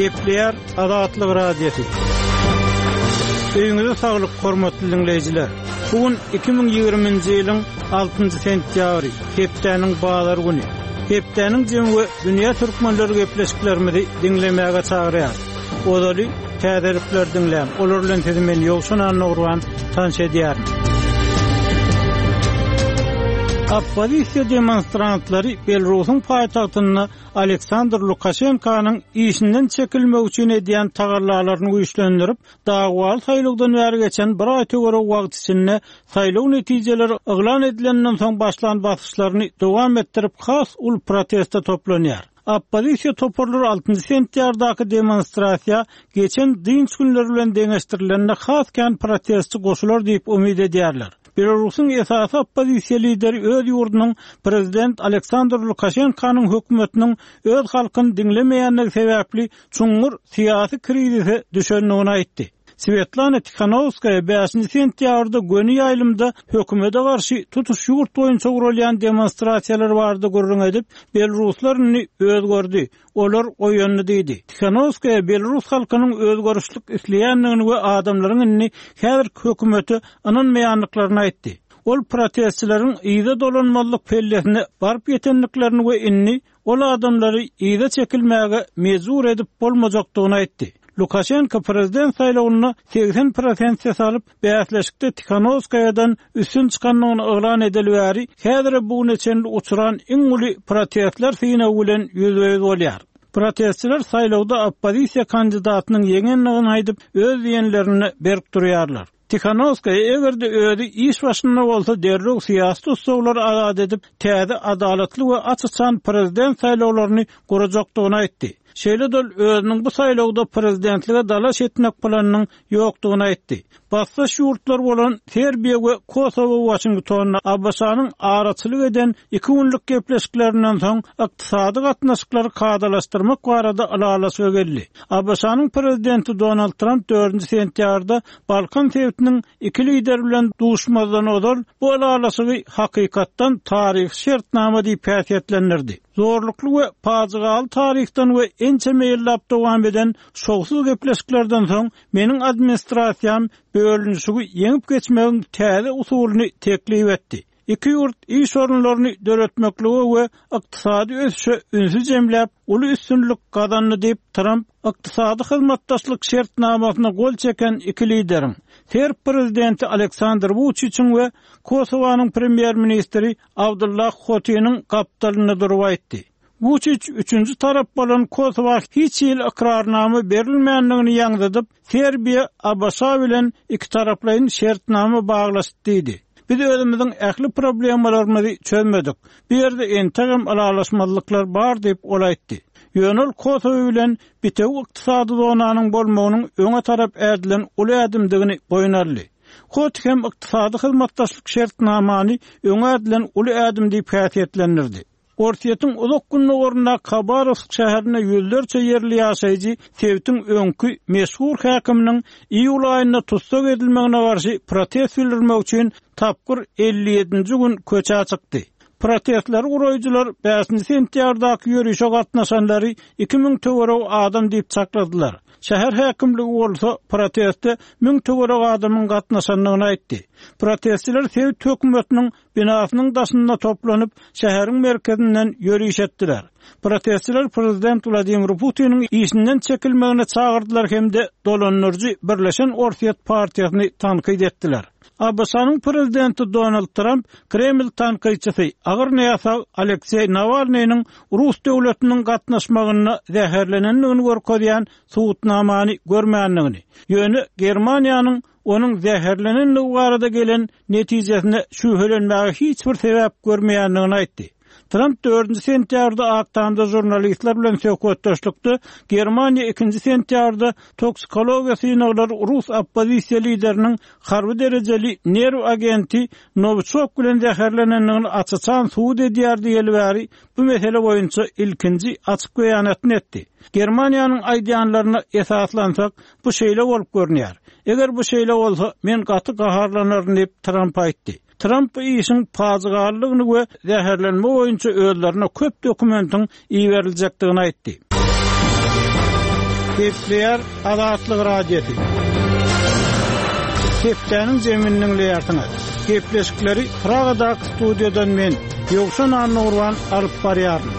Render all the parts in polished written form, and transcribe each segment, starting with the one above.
Gepleýär Azatlyk Radiosy. Öýüňize saglyk, hormatly diňleýjiler! Bu gün 2020-nji ýylyň altynjy sentýabry, hepdäniň bazar güni. Hepdäniň jemi we dünýä türkmenleri gepleşiklerimizi diňlemäge çagyrýar. Ozaly täzelikleri diňläň, olar bilen sizi men Ýowşan Annagurban tanyş edýärin. Oppozisiýa demonstrantlary Belarusyň paýtagtynda Aleksandr Lukaşenkanyň işinden çekilmegi üçin edýän tagallalaryny güýçlendirip, dawaly saýlawdan bäri geçen bir aý töweregi wagt içinde saýlaw netijeleri yglan edilenden soň başlan basyşlaryny dowam etdirip has uly proteste toplanýar. Oppozisiýa toparlary altynjy sentýabrdaky demonstrasiýa geçen dynç günleri bilen deňeşdirilende has kän protestçi goşular diýip umyt edýärler. Belarusyň esasy oppozisiýa lideri öz ýurdunyň prezident Aleksandr Lukaşenkanyň hökümetiniň öz halkyny diňlemeýändigi sebäpli çuňňur syýasy krizise düşendigini aýtdy. Swetlana Tihanowskaýa bäşinji sentýabrda göni ýaýlymda hökümete garşy tutuş ýurt boýunça guralýan demonstrasiýalar barada gürrüň edip, belaruslar indi özgerdi, olar oýandy diýdi. Tihanowskaýa belarus halkynyň özgerişlik isleýändigini we adamlaryň indi häzirki hökümete ynanmaýandyklaryny aýtdy. Ol protestçileriň yza dolanmazlyk pellesine baryp ýetendiklerini we indi Ol adamlary yza çekilmäge mejbur edip bolmajakdygyny aýtdy. Lukaşenko prezident saýlawynda 80 prosent ses alyp, bäsleşikde Tihanowskaýadan üstün çykandygyny yglan edeli bäri, häzire bu güne çenli uçran iň uly protestler synagy bilen ýüzbe-ýüz bolýar. Protestçiler saýlawda oppozisiýa kandidatynyň ýeňendigini aýdyp, öz diýenlerinde berk durýarlar. Tihanowskaýa eger-de özi iş başynda bolsa derrew syýasy tussaglary azat edip, täze adalatly we aç-açan prezident saýlawlaryny gurajakdygyny aýtdy. Şeýle-de ol özüniň bu saýlawda prezidentlige dalaş etmek planynyň ýokdugyny aýtdy. Basdaş ýurtlar bolan Serbiýa we Kosowo Waşingtonda ABŞ-nyň araçylyk eden iki günlük gepleşiklerinden soň ykdysady gatnaşyklary kadalaşdyrmak barada ylalaşyga geldi. ABŞ-nyň prezidenti Donald Tramp dördünji sentýabrda Balkan sebitiniň iki lideri bilen duşmazdan ozal bu ylalaşygy hakykatdan taryhy şertnama diýip häsiýetlendirdi. Zorlukly we pajygaly taryhdan we ençeme ýyllap dowam eden şowsuz gepleşiklerden soň meniň administrasiýam bölünişigi ýeňip geçmegiň täze usulyny teklip etdi. Iki ýurt iş orunlaryny döretmeklige we ykdysady ösüşe ünsi jemläp, uly üstünlik gazandy diýip, Tramp Ykdysady hyzmatdaşlyk şertnamasyna gol çeken iki lideriň, serb prezidenti Aleksandr Wuçiçiň we Kosowanyň premýer-ministri Abdullah Hotiniň gapdalynda durup aýtdy. Wuçiç üçünji tarap bolan Kosowa hiç hili ykrarnama berilmändigini ýaňzydyp, Serbiýa ABŞ bilen ikitaraplaýyn şertnama baglaşdy diýdi. Biz özümiziň ähli problemalarymyzy çözmedik. Bu ýerde entegem ylalaşmazlyklar bar diýip, ol aýtdy. Ýöne ol Kosowa bilen bitewi ykdysady zonanyň bolmagynyň öňe tarap ädilen uly ädimdigini boýun aldy. Hoti hem ykdysady hyzmatdaşlyk şertnamany öňe ädilen uly ädim diýip häsiýetlendirdi. Orsýetiň uzak gündogaryndaky Habarowsk şäherinde ýüzlerçe ýerli ýaşaýjy sebitiň öňki meşhur häkiminiň iýul aýynda tussag edilmegine garşy protest bildirmek üçin tapgyr 57-nji gün köçä çykdy. Protestleri guraýjylar bäşinji sentýabrdaky ýörişe gatnaşanlary 2000 töweregi adam diýip çakladylar. Şäher häkimligi bolsa proteste müň töweregi adamyň gatnaşandygyny aýtdy. Protestçiler sebit hökümetiniň binasynyň daşynda toplanyp, şäheriň merkezinden ýöriş etdiler. Protestçiler prezident Wladimir Putiniň işinden çekilmegine çagyrdylar hem-de dolandyryjy Birleşen Orsýet partiýasyny tankyt etdiler. ABŞ-nyň prezidenti Donald Tramp Kreml tankytçysy, agyr näsag Alekseý Nawalnynyň rus döwletiniň gatnaşmagynda zäherlenendigini görkezýän subutnamany görmändigini, ýöne Germaniýanyň onuň zäherlenendigi barada gelen netijesine şübhelenmäge hiç bir sebäp görmeýändigini aýtdy. Tramp dördünji sentýabrda Ak Tamda žurnalistler bilen söhbetdeşlikde Germaniýa ikinji sentýabrda toksikologiýa synaglary rus oppozisiýa lideriniň harby derejeli nerw agenti Nowiçok bilen zäherlenendigini aç-açan subut edýär diýeli bäri bu mesele boýunça ilkinji açyk beýanatyny etdi. Germaniýanyň aýdýanlaryna esaslansak, Bu şeýle bolup görünýär. Eger bu şeýle bolsa, men gaty gaharlanaryn diýip, Tramp aýtdy. Tramp bu işiň pajygalydygyny we zäherlenme boýunça özlerine köp dokumentiň iberiljekdigini aýtdy. Gepleýär Azatlyk Radiosy. Hepdäniň jemini diňleýärsiňiz. Gepleşikleri Pragadaky studiýadan men, Ýowşan Annagurban alyp barýaryn.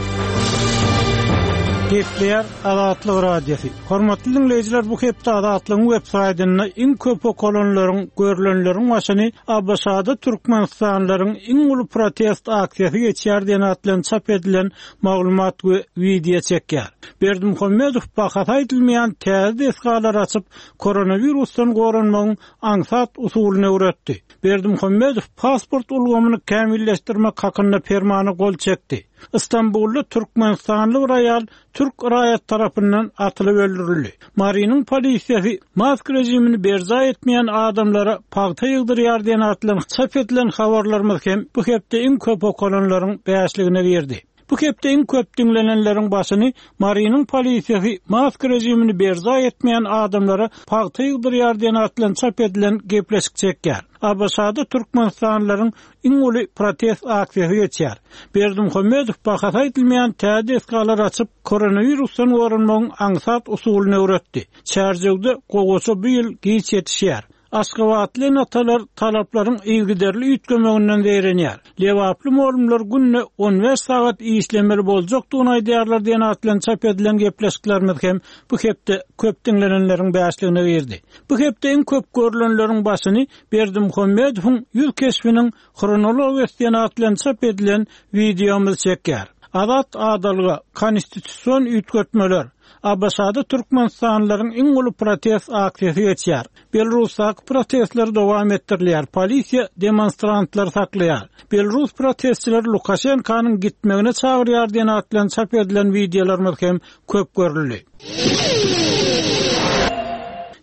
Gepleýär Azatlyk Radiosy. Hormatly diňleýjiler, bu hepde Azatlygyň web saýtynda iň köp okalanlaryň, görlenleriň başyny ABŞ-da türkmenistanlylaryň iň uly protest aksiýasy geçýär diýen at bilen çap edilen maglumat we wideo çekýär. Berdimuhamedow bahasy aýdylmaýan täze desgalary açyp, koronawirusdan goranmagyň aňsat usulyny öwretdi. Berdimuhamedow pasport ulgamyny kämilleşdirmek hakynda permana gol çekdi. Stambulda türkmenistanly bir aýal türk raýaty tarapyndan atylyp öldürildi. Marynyň polisiýasy mask režimini berjaý etmeýän adamlara pagta ýygdyrýar diýen at bilen çap edilen habarlarymyz hem bu hepde iň köp okalanlaryň bäşligine girdi. Bu hepde iň köp diňlenenleriň başyny Marynyň polisiýasy mask režimini berjaý etmeýän adamlara pagta ýygdyrýar diýen at bilen çap edilen gepleşik çekýär. ABŞ-da türkmenistanlylaryň iň uly protest aksiýasy geçýär. Berdimuhamedow bahasy aýdylmaýan täze desgalary açyp, koronawirusdan goranmagyň aňsat usulyny öwretdi. Çärjewde gowaça bu ýyl giç ýetişýär. Aşgabatly ene-atalar talaplaryň yzygiderli üýtgemeginden zeýrenýär. Lebaply mugallymlar günde 15 sagat işlemeli boljakdygyny aýdýarlar diýen at bilen çap edilen gepleşiklerimiz hem bu hepde köp diňlenenleriň bäşligine girdi. Bu hepde iň köp görlenleriň başyny Berdimuhamedowyň ýüz keşbiniň hronologiýasy diýen at bilen çap edilen wideomyz çekýär. Azat adalga, konstitusion üýtgetmeler, ABŞ-da türkmenistanlylaryň iň uly protest aksiýasy geçýär. Belarusdaky protestler dowam etdirilýär, polisiýa demonstrantlary saklaýar. Belarus protestçileri Lukaşenkanyň gitmegine çagyrýar diýen at bilen çap edilen wideolarymyz hem köp görüldi.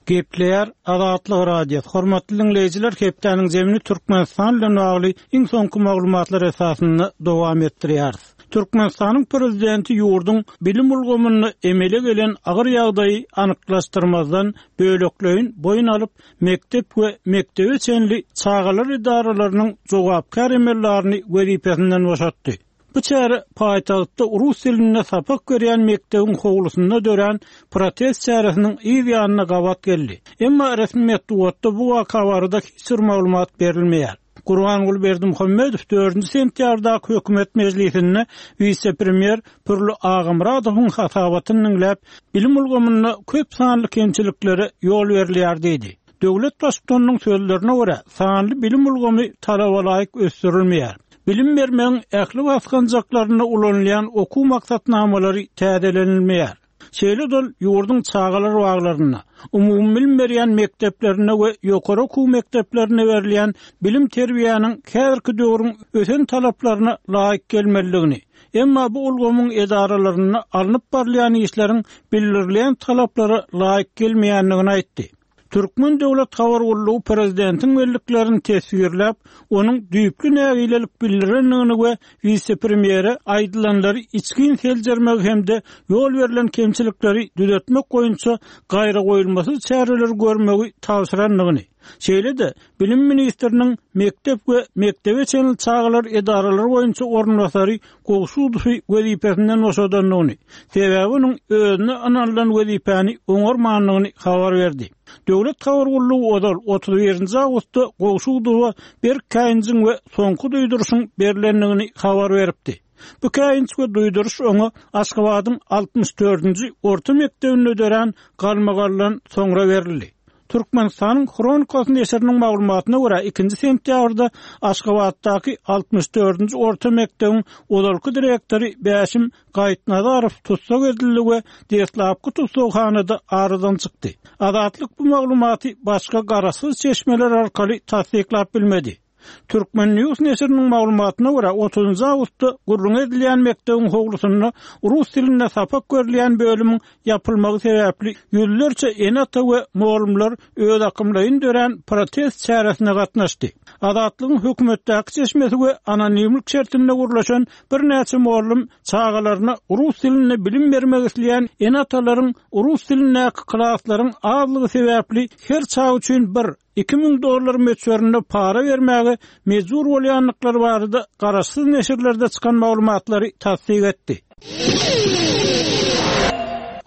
Gepleýär Azatlyk Radiosy. Hormatly diňleýjiler, hepdäniň jemini Türkmenistan bilen bagly iň soňky maglumatlar esasynda dowam etdirýäris. Türkmenistanyň Prezidenti ýurduň bilim ulgamynda emele gelen agyr ýagdaýy anyklaşdyrmazdan bölekleýin boýun alyp, mekdep we mekdebe çenli çagalar edaralarynyň jogapkär emeldaryny wezipesinden boşatdy. Bu çäre paýtagtda rus dilinde sapak berýän mekdebiň howlusynda dörän protest çäresiniň yz ýanyna gabat geldi. Emma resmi metbugatda bu waka barada hiç bir maglumat berilmeýär. Gurbanguly Berdimuhamedow dördünji sentýabrdaky hökümet mejlisinde wise-premýer Pürli Agamyradowyň hasabatyny diňläp, bilim ulgamynda köp sanly kemçiliklere ýol berilýär diýdi. Döwlet Baştutanynyň sözlerine görä, sanly bilim ulgamy talabalaýyk ösdürilmeýär. Bilim bermegiň ähli basgançaklarynda ulanylýan okuw maksatnamalary täzelenilmeýär. Şeýle-de ol ýurduň çagalar baglarynda, umumybilim berýän mekdeplerinde we ýokary okuw mekdeplerinde berilýän bilim-terbiýäniň häzirki döwrüň ösen talaplaryna laýyk gelmelidigini, emma bu ulgamyň edaralarynda alnyp barylýan işleriň bildirilýän talaplara laýyk gelmeýändigini aýtdy. Türkmen döwlet habar gullugy prezidentiň belliklerini teswirläp, onuň düýpli nägilelik bildirendigini we wise-premýere aýdylanlary içgin seljermegi hem-de ýol berlen kemçilikleri düzetmek boýunça gaýragoýulmasyz çäreleri görmegi tabşyrandygyny, şeýle-de bilim ministriniň mekdep we mekdebe çenli çagalar edaralary boýunça orunbasary Gowşudowy wezipesinden boşadandygyny, sebäbi onuň özüne ynanylan wezipäni oňarmandygyny habar berdi. Döwlet habar gullugy ozal, 31 nji awgustda Gowşudowa berk käýinjiň we soňky duýduryşyň berlendigini habar beripdi. Bu käýinç we duýduryş oňa Aşgabadyň 64-nji orta mekdebinde dörän galmagaldan soňra berildi. Türkmenistanyň Hronikasy neşiriniň maglumatyna görä, ikinji sentýabrda Aşgabatdaky altmyş dördünji orta mekdebiň ozalky direktory Bäşim Gaýypnazarow tussag edildi we deslapky tussaghanada aradan çykdy. Azatlyk bu maglumaty başga garaşsyz çeşmeler arkaly tassyklap bilmedi. Turkmen. News neşiriniň maglumatyna görä, otuzynjy awgustda gürrüňi edilýän mekdebiň howlusynda rus dilinde sapak berilýän bölümiň ýapylmagy sebäpli ýüzlerçe ene-ata we mugallymlar özakymlaýyn dörän protest çäresine gatnaşdy. Azatlygyň hökümetdäki çeşmesi we anonimlik şertinde gürleşen birnäçe mugallym çagalaryna rus dilinde bilim bermek isleýän ene-atalaryň rus dilindäki klaslaryň azlygy sebäpli her çaga üçin bir 2000 dollar möçberinde para bermäge mejbur bolýandyklary barada garaşsyz neşirlerde çykan maglumatlary tassyk etdi.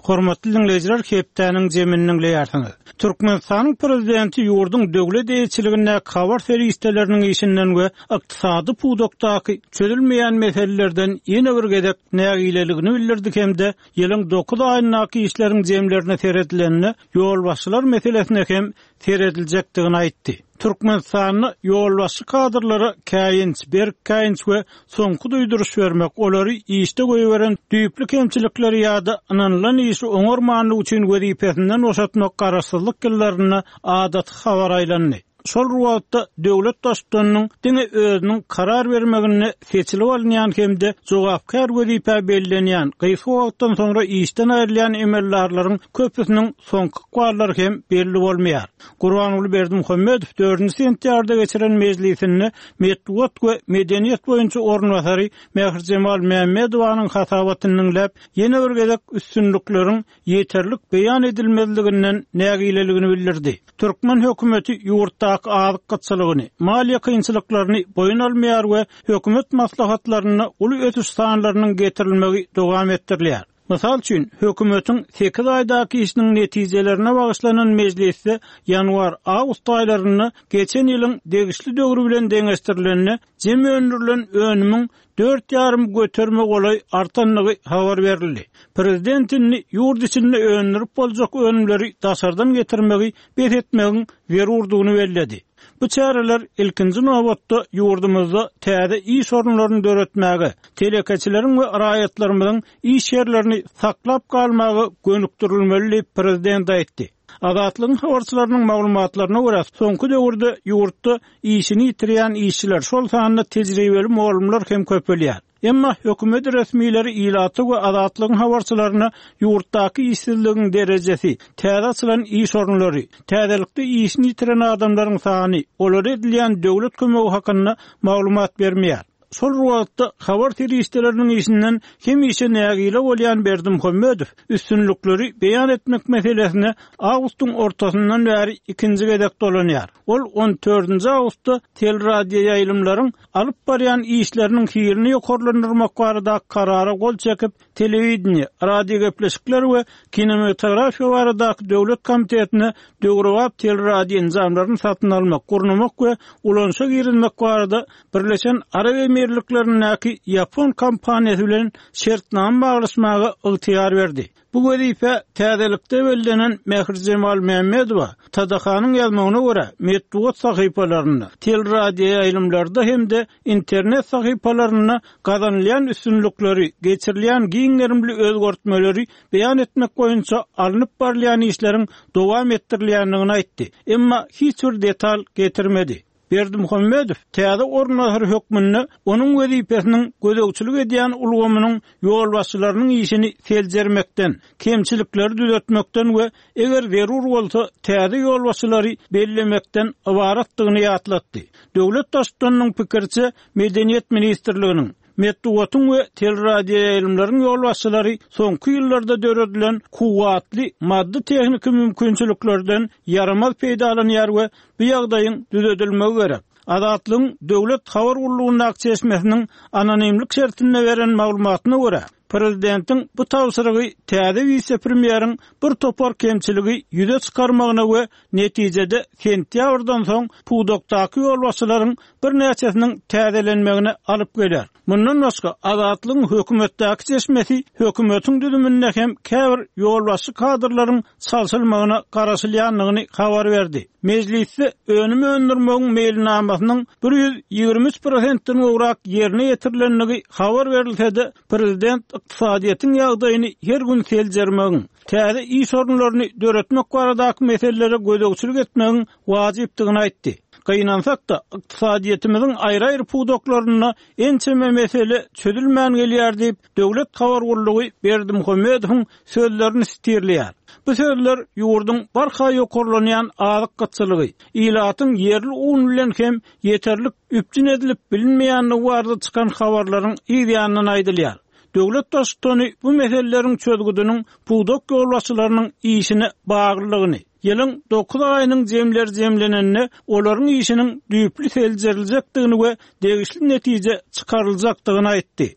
Hormatly diňleýjiler, hepdäniň jemini diňleýärsiňiz. Türkmenistanyň Prezidenti ýurduň döwlet eýeçiligindäki habar serişdeleriniň işinden we ykdysady pudakdaky çözülmeýän meselelerden ýene bir gezek nägileligini bildirdi hem-de ýylyň dokuz aýyndaky işleriň jemlerine seredilende ýolbaşçylar meselesine hem serediljekdigini aýtdy. Türkmenistanda ýolbaşçy kadrlara käýinç, berk käýinç we soňky duýduryş bermek, olary işde goýberen düýpli kemçilikleri ýa-da ynanylan işi oňarmanlygy üçin wezipesinden boşatmak garaşsyzlyk ýyllarynda adaty habara aýlandy. Şol bir wagtda, döwlet Baştutanynyň diňe özüniň karar bermeginde seçilip alynýan hem-de jogapkär wezipä bellenýän, gysga wagtdan soňra işden aýrylýan emeldarlaryň köpüsiniň soňky ykballary hem belli bolmaýar. Gurbanguly Berdimuhamedow dördünji sentýabrda geçiren mejlisinde metbugat we medeniýet boýunça orunbasary Mährijemal Mämmedowanyň hasabatyny diňläp, ýene bir gezek üstünlikleriň ýeterlik beýan edilmezliginden nägileligini bildirdi. Türkmen hökümeti ýurtdaky azyk gytçylygyny, maliýe kynçylyklaryny boýun almaýar we hökümet maslahatlarynda uly ösüş sanlarynyň getirilmegi dowam etdirilýär. Mysal üçin, hökümetiň sekiz aýdaky işiniň netijelerine bagyşlanan mejlisde ýanwar-awgust aýlarynda geçen ýylyň degişli döwri bilen deňeşdirilende jemi öndürilen önümiň dört ýarym göterime golaý artandygy habar berildi. Prezident indi ýurt içinde öndürip boljak önümleri daşardan getirmegi bes etmegiň zerurdygyny belledi. Bu çäreler ilkinji nobatda ýurdumyzda täze iş orunlaryny döretmäge, telekeçileriň we raýatlarymyzyň iş ýerlerini saklap galmaga gönükdirilmeli diýip, prezident aýtdy. Azatlygyň habarçylarynyň maglumatlaryna görä, soňky döwürde ýurtda işini ýitirýän işçiler, şol sanda tejribeli mugallymlar hem köpelýär. Emma hökümet resmileri ilata we Azatlygyň habarçylaryna ýurtdaky işsizligiň derejesi, täze açylan iş orunlary, täzelikde işini ýitiren adamlaryň sany, olara edilýän döwlet kömegi hakynda maglumat bermeýär. Şol bir wagtda, habar serişdeleriniň işinden hemişe nägile bolýan Berdimuhamedow üstünlikleri beýan etmek meselesine awgustyň ortasyndan bäri ikinji gezek dolanýar. Ol on dördünji awgustda teleradioýaýlymlaryň alyp barýan işleriniň hilini ýokarlandyrmak baradaky karara gol çekip, Telewideniýe, radiogepleşikler we kinematografiýa baradaky döwlet komitetine döwrebap teleradioenjamlaryny satyn almak, gurnamak we ulanyşa girizmek barada Birleşen Arap Emirliklerindäki ýapon kompaniýasy bilen şertnama baglaşmaga ygtyýar berdi. Bu wezipä täzelikde bellenen Mährijemal Mämmedowa TDH-nyň ýazmagyna görä, metbugat sahypalarynda, teleradioýaýlymlarda hem-de internet sahypalarynda gazanylýan üstünlikleri, geçirilýän giň gerimli özgertmeleri beýan etmek boýunça alnyp barylýan işleriň dowam etdirilýändigini aýtdy, emma hiç bir detal getirmedi. Berdimuhamedow täze orunbasar hökmünde onuň wezipesiniň gözegçilik edýän ulgamynyň ýolbaşçylarynyň işini seljermekden, kemçilikleri düzetmekden we eger zerur bolsa täze ýolbaşçylary bellemekden ybaratdygyny ýatlatdy. Döwlet Baştutanynyň pikiriçe, Medeniýet ministrliginiň, Metbugatyň we teleradioýaýlymlaryň ýolbaşçylary soňky ýyllarda döredilen kuwwatly maddy-tehniki mümkinçiliklerden ýaramaz peýdalanýar we bu ýagdaýyň düzedilmegi gerek. Azatlygyň döwlet habar gullugyndaky çeşmesiniň anonimlik şertinde beren maglumatyna görä, prezidentiň bu tabşyrygy täze wise-premýeriň bir topar kemçiligi ýüze çykarmagyna we netijede sentýabrdan soň pudakdaky ýolbaşçylaryň birnäçesiniň täzelenmegine alyp geler. Mundan başga, Azatlygyň hökümetdäki çeşmesi hökümetiň düzüminde hem käbir ýolbaşçy kadrlaryň çalşylmagyna garaşylýandygyny habar berdi. Mejlisde önüm öndürmegiň meýilnamasynyň 123 prosentden gowrak ýerine ýetirilendigi habar berilse-de, prezident ykdysadyýetiň ýagdaýyny her gün seljermegiň, täze iş orunlaryny döretmek baradaky meselelere gözegçilik etmegiň wajypdygyny aýtdy. Gynansak-da, ykdysadyýetimiziň aýry-aýry pudaklarynda ençeme mesele çözülmän gelýär diýip, döwlet habar gullugy Berdimuhamedowyň sözlerini sitirleýär. Bu sözler ýurduň barha ýokarlanýan azyk gytçylygy, ilatyň ýerli un bilen hem ýeterlik üpjün edilip bilinmeýändigi barada çykan habarlaryň yz ýanyndan aýdylýar. Döwlet Baştutany bu meseleleriň çözgüdiniň pudak ýolbaşçylarynyň işine baglydygyny, ýylyň dokuz aýynyň jemleri jemlenende olaryň işiniň düýpli seljeriljekdigini we degişli netije çykaryljakdygyny aýtdy.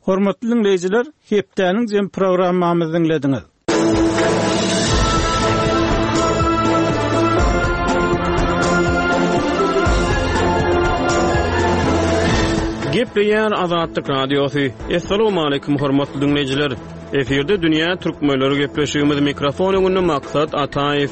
Hormatly diňleýjiler, hepdäniň jem programmamyzy diňlediňiz. Gepleýär Azatlyk Radiosy. Assalamualaikum hormatly diňleýjiler. Efirde dünýä türkmenleri gepleşigimiz mikrofon öňünde Maksat Ataýew.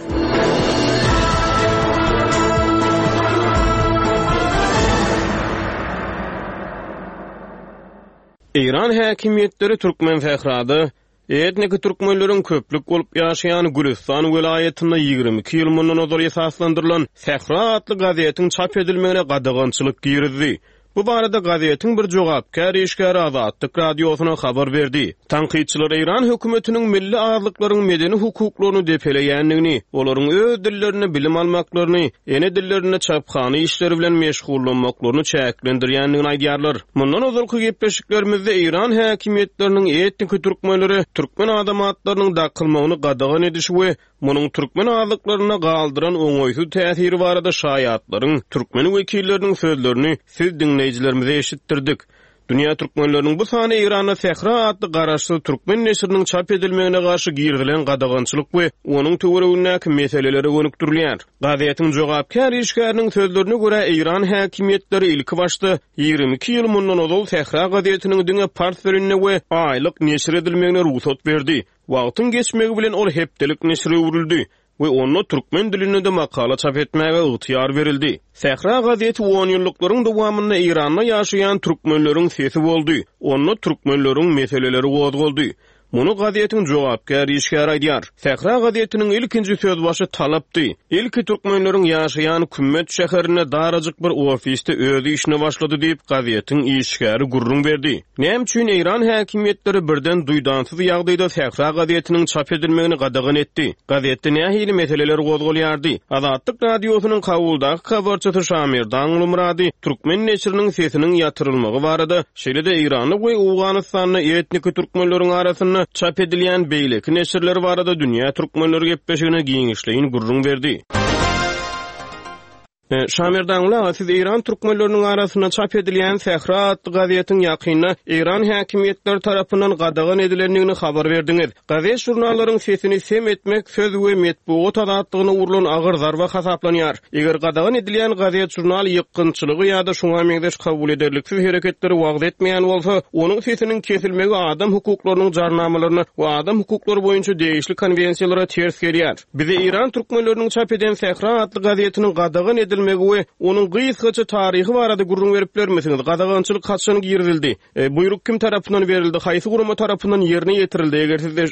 Eýran häkimiýetleri Türkmensährada etniki türkmenleriň köplük bolup ýaşaýan Gülüstan welaýatynda 22 ýyl mundan ozal esaslandyrylan Sähra atly gazetiň çap edilmegine gadagançylyk girizdi. Bu barada gazetiň bir jogapkär işgäri Azatlyk Radiosyna habar berdi. Tankytçylar eýran hökümetiniň milli azlyklaryň medeni hukuklaryny depeleýändigini, olaryň öz dillerinde bilim almaklaryny, ene dillerinde çaphana işleri bilen meşgullanmaklaryny çäklendirýändigini aýdýarlar. Mundan ozalky gepleşiklerimizde eýran häkimiýetleriniň etniki türkmenlere türkmen adam atlarynyň dakylmagyny gadagan edişi we munuň türkmen azlyklarynda galdyran oňaýsyz täsiri barada şaýatlaryň, türkmen wekilleriniň sözlerini siz diňleýjilerimize eşitdirdik. Dünýä türkmenleriniň bu sany Eýranda Sähra atly garaşsyz türkmen neşiriniň çap edilmegine garşy girizilen gadagançylyk we onuň töweregindäki meselelere gönükdirilýär. Gazetiň jogapkär işgäriniň sözlerine görä, eýran häkimiýetleri ilkibaşda 22 ýyl mundan ozal Sähra gazetiniň diňe pars dilinde we aýlyk neşir edilmegine rugsat berdi. Wagtyň geçmegi bilen ol hepdelik neşire öwrüldi we onda türkmen dilinde-de makala çap etmäge ygtyýar berildi. Sähra gazeti onýyllyklaryň dowamynda Eýranda ýaşaýan türkmenleriň sesi boldy, onda türkmenleriň meseleleri gozgaldy. Muny gazetiň jogapkär işgäri aýdýar. Sähra gazetiniň ilkinji sözbaşy talapdy. Ilki türkmenleriň ýaşaýan Kümmet şäherinde darajyk bir ofisde öz işine başlady diýip, gazetiň işgäri gürrüň berdi. Näme üçin eýran häkimiýetleri birden duýdansyz ýagdaýda Sähra gazetiniň çap edilmegini gadagan etdi? Gazetde nähili meseleler gozgalýardy? Azatlyk Radiosynyň Kabuldaky habarçysy Şamerdan Gulmyrady türkmen neşiriniň sesiniň ýatyrylmagy barada, şeýle-de Eýranda we Owganystanda etniki türkmenleriň arasynda çap edilýän beýleki neşirler barada Dünýä türkmenleri gepleşigine giňişleýin gürrüň berdi. Şamerdanguly aga, siz eýran türkmenleriniň arasynda çap edilýän Sähra atly gazetiň ýakynda eýran häkimiýetleri tarapyndan gadagan edilendigini habar berdiňiz. Gazet-žurnallaryň sesini sem etmek söz we metbugat azatlygyna urlan agyr zarba hasaplanýar. Eger gadagan edilýän gazet-žurnal ýykgynçylygy ýa-da şuňa meňzeş kabul ederliksiz hereketleri wagyz etmeýän bolsa, onuň sesiniň kesilmegi adam hukuklarynyň jarnamalaryna we adam hukuklary boýunça degişli konwensiýalara ters gelýär. Bize eýran türkmenleriniň çap eden Sähra atly gazetiniň gadagan edilmegi we onuň gysgaça taryhy barada gürrüň berip bilermisiňiz? Gadagançylyk haçan girizildi? Buýruk kim tarapyndan berildi? Haýsy gurama tarapyndan ýerine ýetirildi? Eger sizde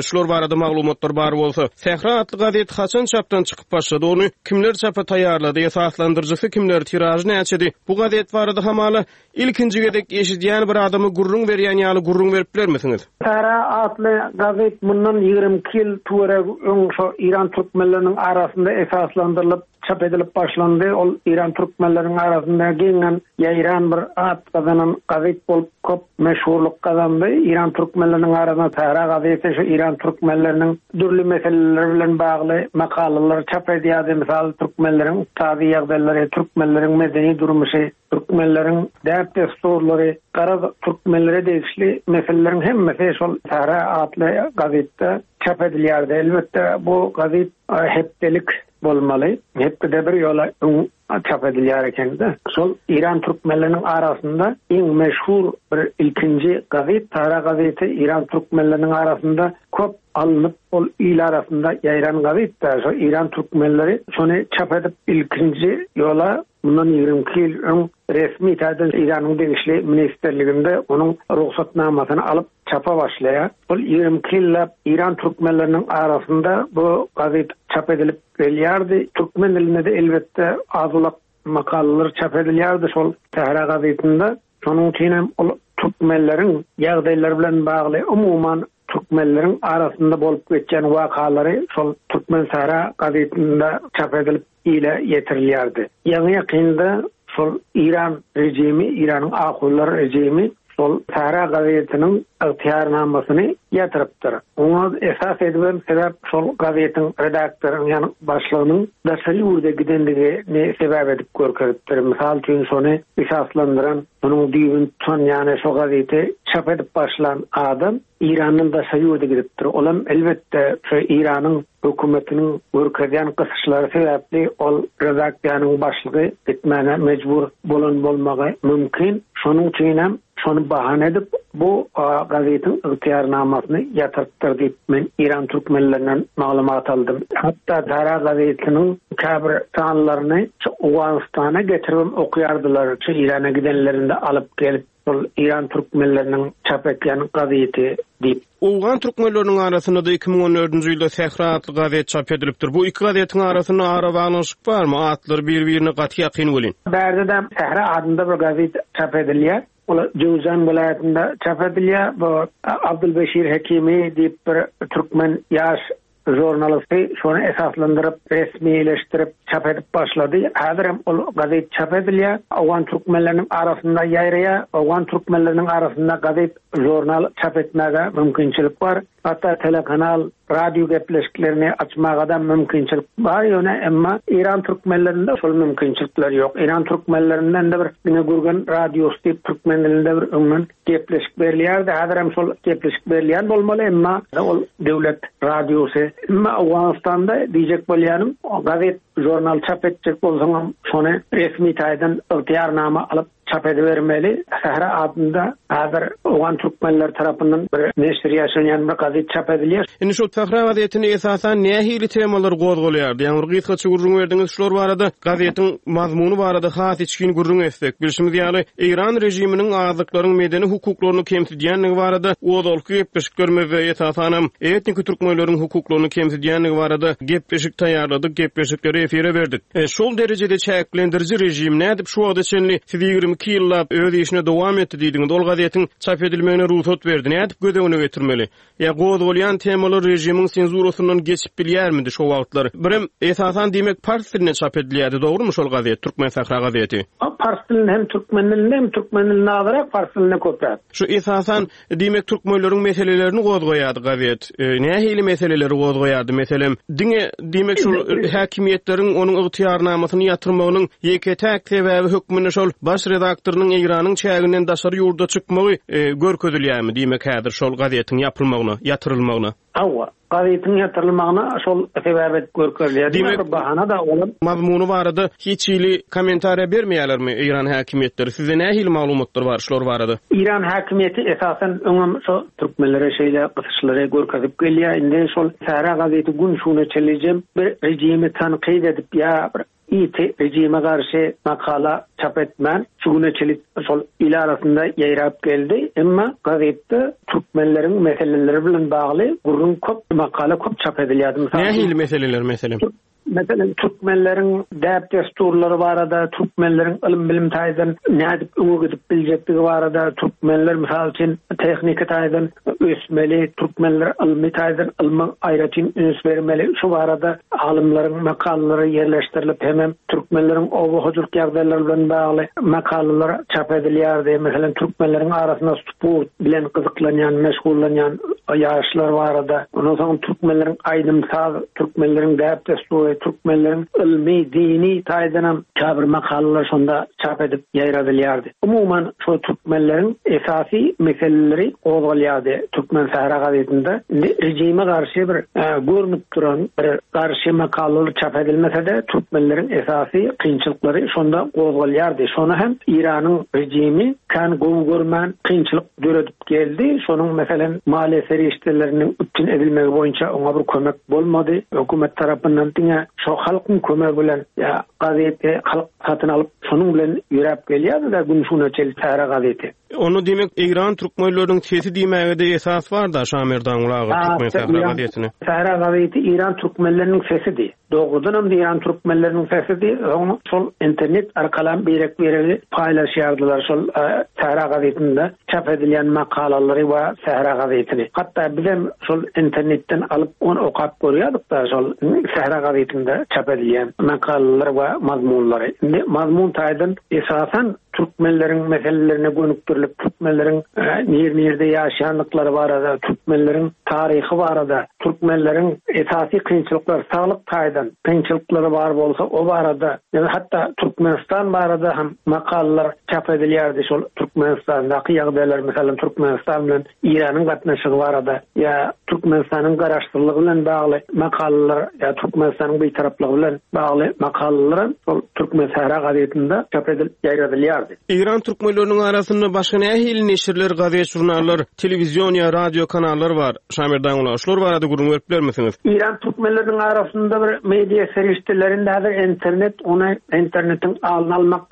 şular barada maglumatlar bar bolsa. Sähra atly gazet haçan çapdan çykyp başlady? Ony kimler çapa taýýarlady? Esaslandyryjysy kimler? Tiražy näçedi? Bu gazet barada hamala Ilkinji gezek eşidýän bir adama gürrüň berýän ýaly gürrüň berip bilermisiňiz? Sähra atly gazet mundan 22 ýyl töweregi öň şo Eýran türkmenleriniň arasynda esaslandyrylyp, çap edilip başlandy. Ol Eýran türkmenleriniň arasynda giňden ýaýran bir at gazanan gazet bolup köp meşhurlyk gazandy. Eýran türkmenleriniň arasynda Sähra gazeti şu Eýran türkmenleriniň dürli meseleleri bilen bagly makalalary çap edýärdi. Mysal, türkmenleriň ykdysady ýagdaýlary, türkmenleriň medeni durmuşy, Türkmenleriň däp-dessurlary, garaz, türkmenlere degişli meseleleriň hemmesi şol Sähra atly gazetde çap edilýärdi. Elbetde, bu gazet hepdelik bolmaly. Hepdede bir ýola öň çap edilýär ekeni-de. Şol Eýran türkmenleriniň arasynda iň meşhur bir ilkinji gazet Sähra gazeti Eýran türkmenleriniň arasynda köp alnyp, ol il arasynda ýaýran gazetdi. Şol Eýran türkmenleri şony çap edip ilkinji ýola Mundan 22 ýyl öň resmi taýdan Eýranyň degişli ministrliginde onuň rugsatnamasyny alyp çapa başlaýar. Ol 22 ýyllap Eýran türkmenleriniň arasynda bu gazet çap edilip gelýärdi. Türkmen dilinde-de elbetde az-ulak makalalar çap edilýärdi şol Sähra gazetinde. Şonuň üçin hem ol türkmenleriň ýagdaýlary bilen bagly umuman türkmenleriň arasynda bolup geçýän wakalary şol Türkmensähra gazetinde çap edilip ile ýetirilýärdi. Ýaňy-ýakynda şol Eýran režimi, Eýranyň ahunlar režimi. şol Sähra gazetiniň ygtyýarnamasyny ýatyrypdyr. Oňa esas edibem sebäp şol gazetiň redaktorynyň ýagny başlygynyň daşary ýurda gidendigini sebäp edip görkezipdir. Mysal üçin şony esaslandyran, şonuň düýbüni tutan ýagny şo gazeti çap edip başlan adam Eýrandan daşary ýurda gidipdir. Olam elbetde şu Eýranyň hökümetiniň görkezýän gysyşlary sebäpli ol redaksiýanyň başlygy gitmäne mejbur bolan bolmagy mümkin. Şonuň üçinem şony bahana edip bu gazetiň ygtyýarnamasyny ýatyrypdyr diýip men Eýran türkmenlerinden maglumat aldym. Hatda Sara gazetiniň käbir sanlaryny şu Owganystana getiribem okaýardylar, şu Eýrana gidenlerinde alyp gelip. Şol Eýran türkmenleriniň çap etýän gazeti diýip. Owgan türkmenleriniň arasynda-da 2014-nji ýylda Sähra atly gazet çap edilipdir. Bu iki gazetiň arasynda arabaglanyşyk barmy? Atlary bir-birine gaty ýakyn welin. Bärde-de Sähra adynda bir gazet çap edilýär. Ol Jöwüzjan welaýatynda çap edilýär. Bu Abdulbeşir Hekimi diýip bir türkmen ýaş Žurnalisty şony esaslandyryp, resmileşdirip, çap edip başlady. Häzirem ol gazet çap edilýär. Owgan türkmenleriniň arasynda ýaýraýar. Owgan türkmenleriniň arasynda gazet, žurnal çap etmäge mümkinçilik bar. Hatda telekanal, radio gepleşiklerini açmaga-da mümkinçilik bar. Ýöne emma Eýran türkmenlerinde şol mümkinçilikler ýok. Eýran türkmenlerinde indi bir diňe Gürgen radiosy diýip türkmen dilinde bir öňden Gepleşik berilýärdi, häzirem şol gepleşik berilýän bolmaly, emma ol döwlet radiosy. Emma Owganystanda diýjek bolýanym, gazet, žurnal çap etjek bolsaňam, şony resmi taýdan ygtyýarnama alyp çap edibermeli. Sähra adynda häzir owgan türkmenleri tarapyndan bir neşir ýaşanýan bir gazet çap edilýär. Indi şol Sähra gazetinde esasan nähili temalar gozgalýardy? Ýagny bir gysgaça gürrüň berdiňiz şular barada. Gazetiň mazmuny barada has içgin gürrüň etsek. Bilşimiz ýaly, Eýran režiminiň azlyklaryň medeni hukuklaryny kemsidýändigi barada ozalky gepleşiklerimizde, esasanam, etniki türkmenleriň hukuklaryny kemsidýändigi barada gepleşik taýýarladyk, gepleşikleri efire berdik. Şol derejede çäklendiriji režim nädip şu wagta çenli siz 22 ýyllap öz işine dowam etdi diýdiňiz, ol gazetiň çap edilmegine rugsat berdi, nädip göz öňüne getirmeli? Ýa gozgalýan temalar režimiň senzurasyndan geçip bilýärmidi şo wagtlar? Birem, esasan diýmek pars dilinde çap edilýärdi, dogrumy şol gazet, Türkmen Sahra gazeti? Pars dilinde hem türkmen dilinde hem türkmen dilinde azyrak, pars dilinde köpräk. Şu esasan, diýmek türkmenleriň meselelerini gozgaýardy gazet. Nähili meseleleri gozgaýardy, meselem, diňe diýmek şol häkimiýetleriň onuň ygtyýarnamasyny ýatyrmagynyň ýeke-täk sebäbi hökmünde şol baş redaktorynyň Eýranyň çäginden daşary ýurda çykmagy görkezilýärmi diýmek häzir şol gazetiň ýapylmagyna, ýatyrylmagyna? Hawa, gazetiň ýatyrylmagyna şol sebäp edip görkezilýär. Diýmek, bir bahana-da olam. Mazmuny barada hiç hili kommentariýa bermeýärlermi Eýran häkimiýetleri? Sizde nähili maglumatlar bar şular barada? Eýran häkimiýeti esasan öňem şo türkmenlere şeýle gysyşlary görkezip gelýär. Indi şol Sähra gazeti gün şu güne çenlijem bir režimi tankyt edip ýa bir ýiti režime garşy makala çap etmän şu güne çenli şol il arasynda ýaýrap geldi. Emma gazetde türkmenleriň meseleleri bilen bagly gürrüň köp, makala köp çap edilýärdi. Mysal üçin, Nähili meseleler meselem? Meselem, türkmenleriň däp-dessurlary barada, türkmenleriň ylym-bilim taýdan nädip öňe gidip biljekdigi barada, türkmenler, mysal üçin, tehniki taýdan ösmeli, türkmenler ylmy taýdan ylma aýratyn üns bermeli, şu barada alymlaryň makalalary ýerleşdirilip, hemem türkmenleriň oba hojalyk ýagdaýlary bilen bagly makalalar çap edilýärdi. Meselem, türkmenleriň arasynda sport bilen gyzyklanýan, meşgullanýan ýaşlar barada, ondan soň türkmenleriň aýdym-saz, türkmenleriň däp-dessury, türkmenleriň ylmy, dini taýdanam käbir makalalar şonda çap edip ýaýradylýardy. Umuman, şol türkmenleriň esasy meseleleri gozgalýardy Türkmen sähra gazetinde. Indi režime garşy bir görnüp duran bir garşy makalalar çap edilmese-de, türkmenleriň esasy kynçylyklary şonda gozgalýardy. Şony hem Eýranyň režimi kän gowy görmän kynçylyk döredip geldi. Şonuň, meselem, maliýe serişdeleriniň üpjün edilmegi boýunça oňa bir kömek bolmady. Hökümet tarapyndan diňe şo halkyň kömegi bilen ýa gazeti halk satyn alyp, şonuň bilen ýöräp gelýärdi-de gün şu güne çenli Sähra gazeti. Onda diýmek, Eýran türkmenleriniň sesi diýmäge-de esas bar-da, Şamerdanguly aga, Türkmen Sähra gazetine. Sähra gazeti Eýran türkmenleriniň sesidi. Dogrudanam Eýran türkmenleriniň sesidi. Soň şol internet arkalam birek-biregi paýlaşýardylar şol Sähra gazetinde çap edilýän makalalary we Sähra gazetini. Hatda bizem şol internetden alyp ony okap görýärdik-da şol Sähra gazetinde çap edilýän makalalary we mazmunlary. Indi mazmun taýdan esasan. türkmenleriň meselelerine gönükdirilip, türkmenleriň nir-nirde ýaşaýandyklary barada, türkmenleriň taryhy barada, türkmenleriň esasy kynçylyklary, saglyk taýdan kynçylyklary bar bolsa, o barada, ýa hatda Türkmenistan barada hem makalalar çap edilýärdi. Şol Türkmenistandaky ýagdaýlar, meselem, Türkmenistan bilen Eýranyň gatnaşygy barada ýa Türkmenistanyň garaşsyzlygy bilen bagly makalalar ýa Türkmenistanyň bitaraplygy bilen bagly makalalar hem şol Türkmensähra gazetinde çap edilip ýaýradylýardy. Eýran türkmenleriniň arasynda başga nähili neşirler, gazet-žurnallar, telewizion ýa radio kanallar bar? Şamerdan ulag, şular barada gürrüň berip bilermisiňiz? Eýran türkmenleriniň arasynda bir media serişdelerinde häzir internet, ony internetiň alyny almak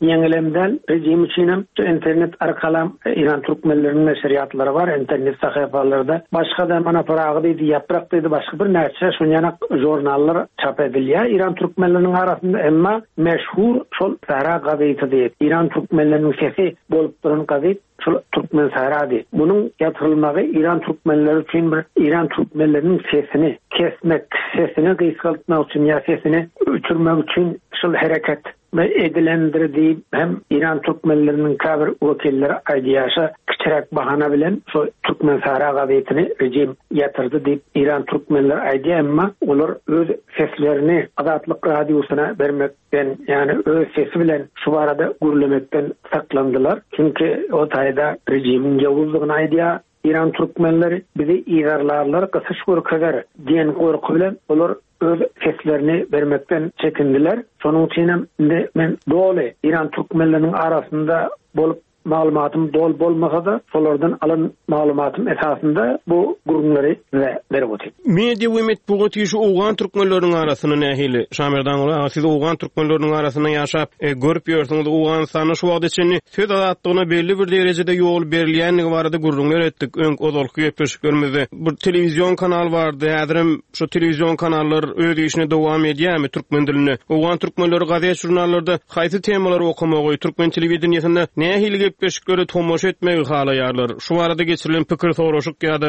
Ýeňilem däl, rejim üçinem şu internet arkalam Eýran türkmenleriniň neşirýatlary bar, internet sahypalarda. Başga-da mana Pyragy diýdi, Ýaprak diýdi, başga birnäçe şunýanak žurnallar çap edilýär Eýran türkmenleriniň arasynda. Emma meşhur şol Sähra gazeti diýip, Eýran türkmenleriniň sesi bolup duran gazet şol Türkmen Sährady. Munuň ýatyrylmagy Eýran türkmenleri üçin bir Eýran türkmenleriniň sesini kesmek, sesini gysgaltmak üçin ýa sesini öçürmek üçin şol hereket edilendir diýip hem Eýran türkmenleriniň käbir wekilleri aýdýarşa kiçiräk bahana bilen şo Türkmensahra gazetini rejim ýatyrdy diýip Eýran türkmenleri aýdýar emma olar öz seslerini Azatlyk radiosyna bermekden ýagny öz sesi bilen şu barada gürlemekden saklandylar çünki o taýda rejimiň ýowuzdygyny aýdýar Eýran türkmenleri bizi yzarlarlar gysyş görkezer diýen gorky bilen olar öz seslerini bermekden çekindiler. Şonuň üçinem indi men doly Eýran türkmenleriniň arasynda bolup maglumatym doly bolmasa-da, şolardan alan maglumatym esasynda bu gürrüňleri size berip otyryn. Media we metbugat işi owgan türkmenleriniň arasynda nähili? Şamerdanguly aga, siz owgan türkmenleriniň arasynda ýaşap, görüp ýörsüňiz. Owganystanda şu wagta çenli söz azatlygyna belli bir derejede ýol berilýändigi barada gürrüňler etdik öň ozalky gepleşiklerimizde. Bir telewizion kanal bardy, häzirem Şu telewizion kanallar öz işini dowam edýärmi türkmen dilinde? Owgan türkmenleri gazet-žurnallarda haýsy temalary okamagy, türkmen telewideniýesinde nähili gepleşiklere tomaşa etmegi halaýarlar? Şu barada geçirilen pikir soraşyk ýa-da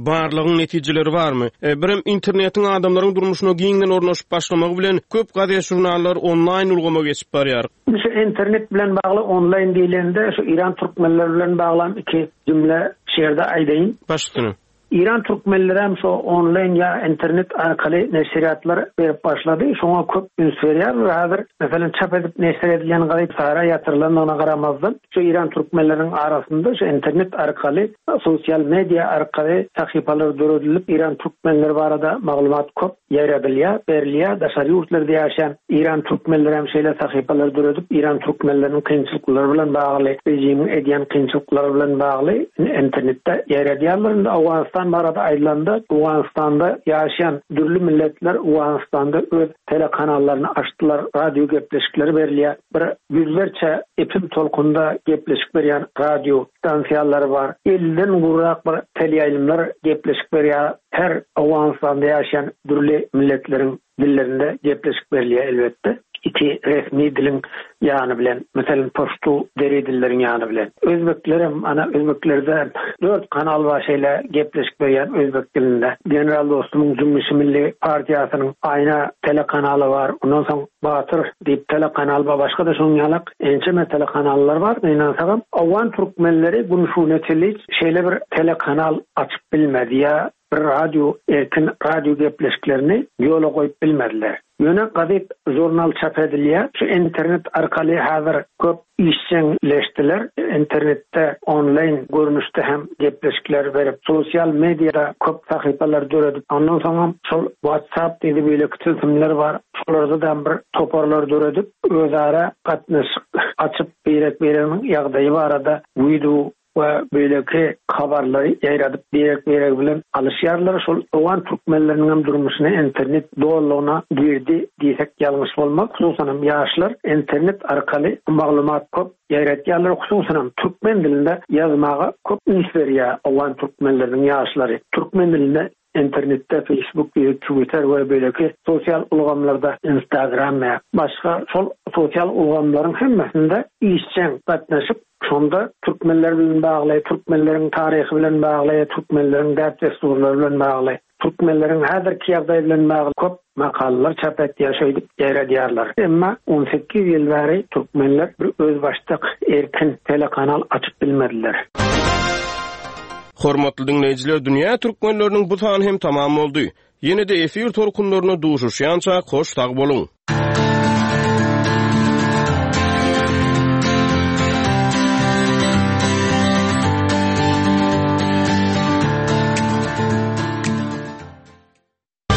barlagyň netijeleri barmy? Birem internetiň adamlaryň durmuşyna giňden ornaşyp başlamagy bilen köp gazet-žurnallar onlaýn ulgama geçip barýar. Şu internet bilen bagly onlaýn diýlende şu Eýran türkmenleri bilen baglam iki jümle şu ýerde aýdaýyn. Baş üstüne. Eýran türkmenlerem şo onlaýn ýa internet arkaly neşirýatlar berip başlady. Şoňa köp üns berýärler häzir. Meselem, çap edip neşir edilýän gazet Sara ýatyrylandygyna garamazdan, şu Eýran türkmenleriniň arasynda şu internet arkaly, sosial media arkaly sahypalar döredilip, Eýran türkmenleri barada maglumat köp ýaýradylýar, berilýär. Daşary ýurtlarda ýaşaýan Eýran türkmenleri hem şeýle sahypalary döredip, Eýran türkmenleriniň kynçylyklary bilen bagly, režimiň edýän kynçylyklary bilen bagly internetde ýaýradýarlar. Indi Owganystan barada aýdylanda, Owganystanda ýaşaýan dürli milletler Owganystanda öz telekanallaryny açdylar, radio gepleşikleri berilýär. Bir ýüzlerçe epim tolkunda gepleşik berýän radio stansiýalary bar. Elliden gowrak bir teleýaýlymlar gepleşik berýär. Her Owganystanda ýaşaýan dürli milletleriň dillerinde gepleşik berilýär elbetde. Iki resmi diliň ýany bilen, meselem, paştu, deri dilleriň ýany bilen. Özbeklerem, ana, özbeklerde dört kanal bar şeýle gepleşik berýän özbek dilinde. General Dostumyň Jümmüşi Milli partiýasynyň Aýna telekanaly bar. Ondan soň Batyr diýip telekanal bar. Başga-da şonuň ýalak ençeme telekanallar bar. Gynansagam, owgan türkmenleri gün şuna çenli şeýle bir telekanal açyp bilmedi ýa bir radio erkin radio gepleşiklerini ýola goýup bilmediler. Ýöne gazet, žurnal çap edilýär. Şu internet arkaly häzir köp işjeňleşdiler. Internetde onlaýn görnüşde hem gepleşikler berip, sosial mediada köp sahypalar döredip, ondan soňam şol WhatsApp diýdi beýleki tilsimler bar. Şolarda-da bir toparlar döredip, özara gatnaşyk açyp, birek-bireginiň ýagdaýy barada wideo we beýleki habarlary ýaýradyp birek-biregi bilen alyşýarlar. Şol owgan türkmenleriniň hem durmuşyna internet dolulygyna girdi diýsek ýalňyş bolmaz. Hususan hem ýaşlar internet arkaly maglumat köp ýaýratýarlar. Hususan hem türkmen dilinde ýazmaga köp üns berýär owgan türkmenleriniň ýaşlary. Türkmen dilinde Internetde Facebook, Twitter we beýleki sosial ulgamlarda, Instagram we başga şol sosial ulgamlaryň hemmesinde işjeň gatnaşyp, şonda türkmenler bilen bagly, türkmenleriň taryhy bilen bagly, türkmenleriň däp-dessurlary bilen bagly. Türkmenleriň häzirki ýagdaýy bilen bagly köp makalalar çap etýär, şeýdip ýaýradýarlar. Emma 18 ýyl bäri türkmenler bir özbaşdak erkin telekanal açyp bilmediler. Hormatly diňleýjiler, Dünýä türkmenleriniň bu sany hem tamam boldy. Ýene-de efir tolkunlarynda duşuşýançak hoş sag boluň!